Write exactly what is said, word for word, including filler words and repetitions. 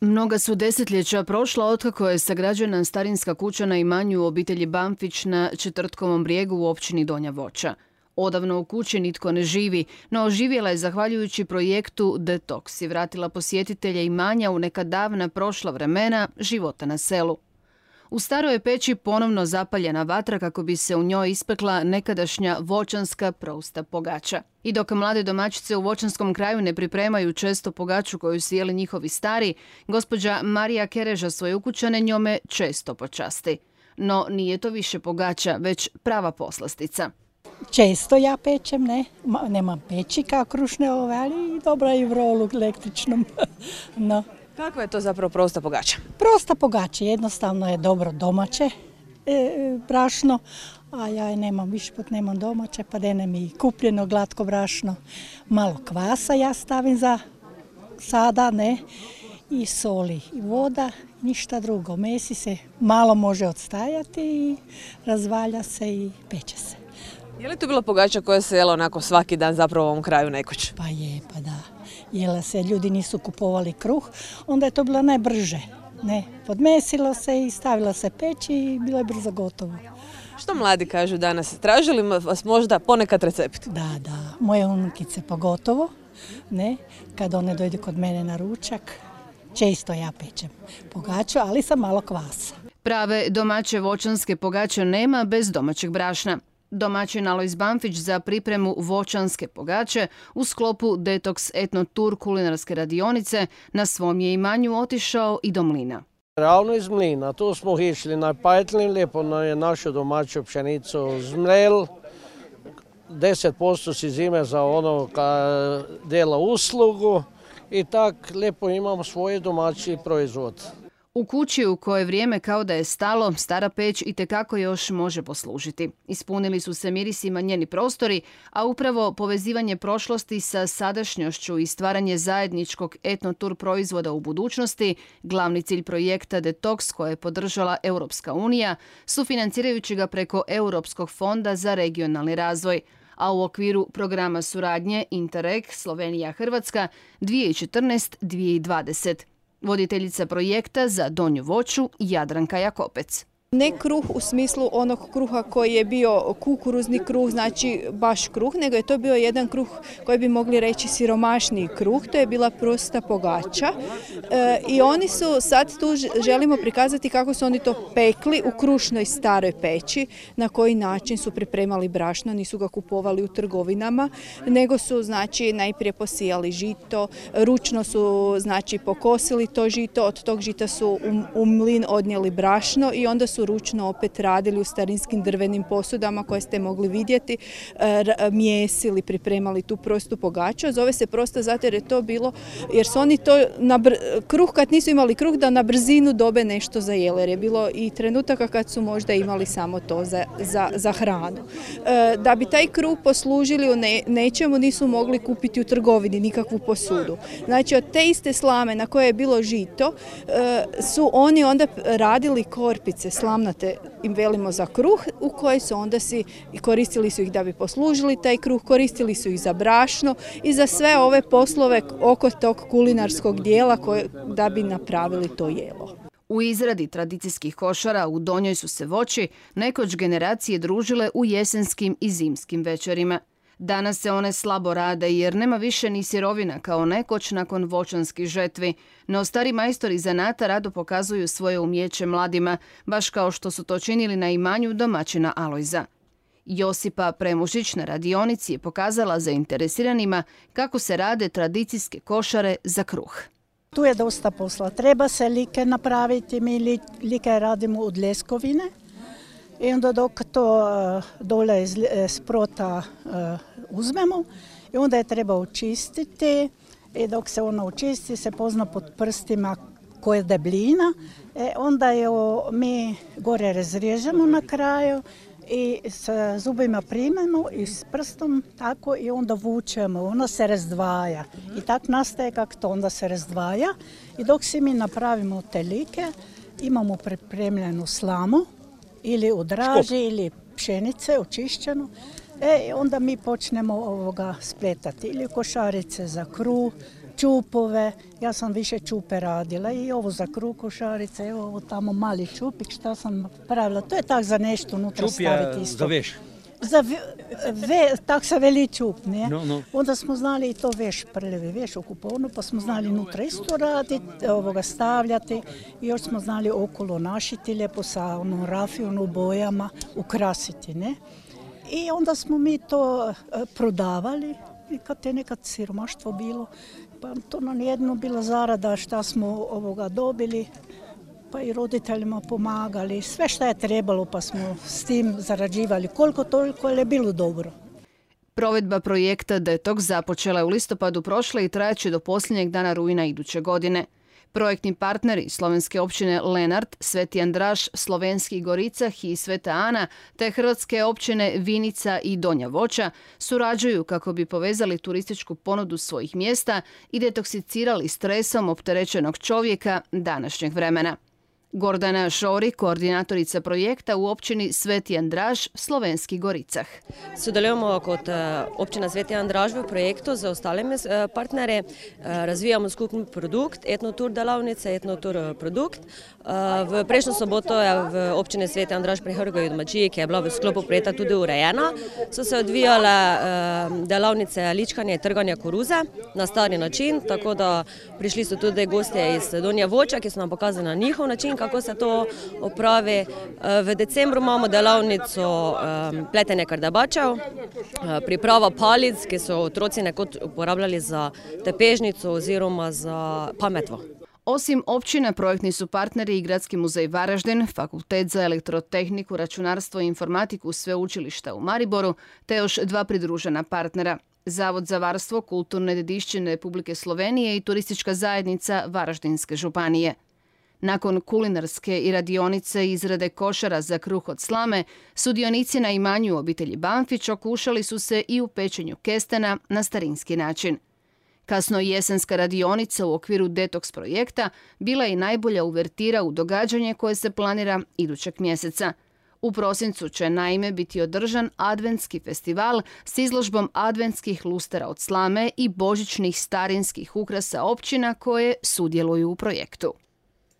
Mnoga su desetljeća prošla otkako je sagrađena starinska kuća na imanju obitelji Bamfić na Četvrtkovom brijegu u općini Donja Voća. Odavno u kući nitko ne živi, no oživjela je zahvaljujući projektu Detoks i vratila posjetitelje imanja u neka davna prošla vremena života na selu. U staroj je peći ponovno zapaljena vatra kako bi se u njoj ispekla nekadašnja voćanska prousta pogača. I dok mlade domaćice u voćanskom kraju ne pripremaju često pogaču koju su jeli njihovi stari, gospođa Marija Kereža svoje ukućane njome često počasti. No nije to više pogača, već prava poslastica. Često ja pečem, ne, nemam peći kao krušne ove, ali dobra i vrolu električnom. No. Kakva je to zapravo prosta pogača? Prosta pogača, jednostavno je dobro domaće e, brašno, a ja je nemam, više put nemam domaće, pa dene mi kupljeno glatko brašno. Malo kvasa ja stavim za sada, ne, i soli i voda, ništa drugo. Mesi se malo može odstajati i razvalja se i peče se. Je li to bila pogača koja se jela onako svaki dan zapravo u ovom kraju nekoć? Pa je, pa da. Jela se, ljudi nisu kupovali kruh, onda je to bilo najbrže. Ne, podmesilo se i stavilo se peći i bilo je brzo gotovo. Što mladi kažu danas? Traži li vas možda ponekad recept? Da, da, moje unukice pogotovo, ne, kad one dojde kod mene na ručak, često ja pečem pogaču, ali sa malo kvasa. Prave domaće voćanske pogače nema bez domaćeg brašna. Domaćin Alojz Bamfić za pripremu voćanske pogače u sklopu Detoks Etno Tour kulinarske radionice na svom je imanju otišao i do mlina. Ravno iz mlina, tu smo išli na Pajtlin, lijepo je našu domaću pšenicu zmrel, deset posto si zime za ono ka dela uslugu i tak lijepo imamo svoj domaći proizvod. U kući u kojoj vrijeme kao da je stalo, stara peć itekako još može poslužiti. Ispunili su se mirisima njeni prostori, a upravo povezivanje prošlosti sa sadašnjošću i stvaranje zajedničkog etnotur proizvoda u budućnosti, glavni cilj projekta Detoks koje je podržala Europska unija, sufinancirajući ga preko Europskog fonda za regionalni razvoj, a u okviru programa suradnje Interreg Slovenija-Hrvatska dvije tisuće četrnaeste do dvije tisuće dvadesete. Voditeljica projekta za Donju Voću Jadranka Jakopec. Ne kruh u smislu onog kruha koji je bio kukuruzni kruh, znači baš kruh, nego je to bio jedan kruh koji bi mogli reći siromašniji kruh, to je bila prosta pogača. E, I oni su, sad tu želimo prikazati kako su oni to pekli u krušnoj staroj peći, na koji način su pripremali brašno, nisu ga kupovali u trgovinama, nego su znači najprije posijali žito, ručno su znači pokosili to žito, od tog žita su u, u mlin odnijeli brašno i onda su ručno opet radili u starinskim drvenim posudama koje ste mogli vidjeti, mijesili, pripremali tu prostu pogaču. Zove se prosta zato jer je to bilo, jer su oni to, na br- kruh kad nisu imali kruh da na brzinu dobe nešto za jelo, jer je bilo i trenutaka kad su možda imali samo to za, za, za hranu. Da bi taj kruh poslužili u ne, nečemu nisu mogli kupiti u trgovini nikakvu posudu. Znači od te iste slame na koje je bilo žito su oni onda radili korpice, slamnate im velimo za kruh, u koje su onda si, koristili su ih da bi poslužili taj kruh, koristili su ih za brašno i za sve ove poslove oko tog kulinarskog dijela koje, da bi napravili to jelo. U izradi tradicijskih košara u Donjoj su se Voći nekoć generacije družile u jesenskim i zimskim večerima. Danas se one slabo rade jer nema više ni sirovina kao nekoć nakon voćanskih žetvi, no stari majstori zanata rado pokazuju svoje umjeće mladima, baš kao što su to činili na imanju domaćina Alojza. Josipa Premušić na radionici je pokazala zainteresiranima kako se rade tradicijske košare za kruh. Tu je dosta posla. Treba se like napraviti, mi like radimo od ljeskovine. I onda dok to dole iz sprota uzmemo, i onda je treba očistiti i dok se ono očisti se pozna pod prstima koja je debljina. E onda je mi gore razriježemo na kraju i sa zubima primemo i s prstom tako i onda vučemo, ono se razdvaja. I tako nastaje kako to onda se razdvaja. I dok si mi napravimo te like, imamo pripremljenu slamu, ili od raži ili pšenice očišćenu. E, onda mi počnemo ovoga spletati ili košarice za kruh, čupove. Ja sam više čupe radila i ovo za kruh košarice, evo ovo tamo mali čupik šta sam pravila. To je tak za nešto unutra staviti isto. Čup je za veš. Za ve, tak se veli čup, ne? No, no. Onda smo znali i to veš, prljavi veš u kuponu, pa smo znali unutra isto raditi, ovoga stavljati i još smo znali okolo našiti lijepo sa onom rafijom u bojama, ukrasiti, ne? I onda smo mi to prodavali i kad je nekad siromaštvo bilo, pa to nam jedno bila zarada šta smo ovoga dobili, pa i roditeljima pomagali, sve šta je trebalo pa smo s tim zarađivali koliko toliko, ali je bilo dobro. Provedba projekta Detox započela je u listopadu prošle i trajaće do posljednjeg dana rujna iduće godine. Projektni partneri slovenske općine Lenart, Sveti Andraž, Slovenski Goricah i Sveta Ana te hrvatske općine Vinica i Donja Voća surađuju kako bi povezali turističku ponudu svojih mjesta i detoksicirali stresom opterećenog čovjeka današnjeg vremena. Gordana Šori, koordinatorica projekta u općini Sveti Andraž, Slovenski Goricah. Sodelujemo kot općina Sveti Andraž v projektu z ostalimi partnerje. Razvijamo skupni produkt, etnotur delavnice, etnotur produkt. V prejšnjo soboto je v općini Sveti Andraž pri Hrgovi domačiji, ki je bila v sklopu projekta tudi urejena, so se odvijale delavnice ličkanja in trganja koruze na stari način, tako da prišli so tudi gostje iz Donje Voća, ki so nam pokazali na njihov način, kako se to opravi. V decembru imamo delavnico pletenja kardabačev, priprava palic, ki so otroci nekoč uporabljali za tepežnico oziroma za pametvo. Osim općina, projektni su partneri i Gradski muzej Varaždin, Fakultet za elektrotehniku, računarstvo i informatiku Sveučilišta u Mariboru, te još dva pridružena partnera. Zavod za varstvo kulturne dedišćine Republike Slovenije i Turistička zajednica Varaždinske županije. Nakon kulinarske i radionice izrade košara za kruh od slame, sudionici na imanju obitelji Banfić okušali su se i u pečenju kestena na starinski način. Kasno jesenska radionica u okviru Detox projekta bila je i najbolja uvertira u događanje koje se planira idućeg mjeseca. U prosincu će naime biti održan adventski festival s izložbom adventskih lustera od slame i božićnih starinskih ukrasa općina koje sudjeluju u projektu.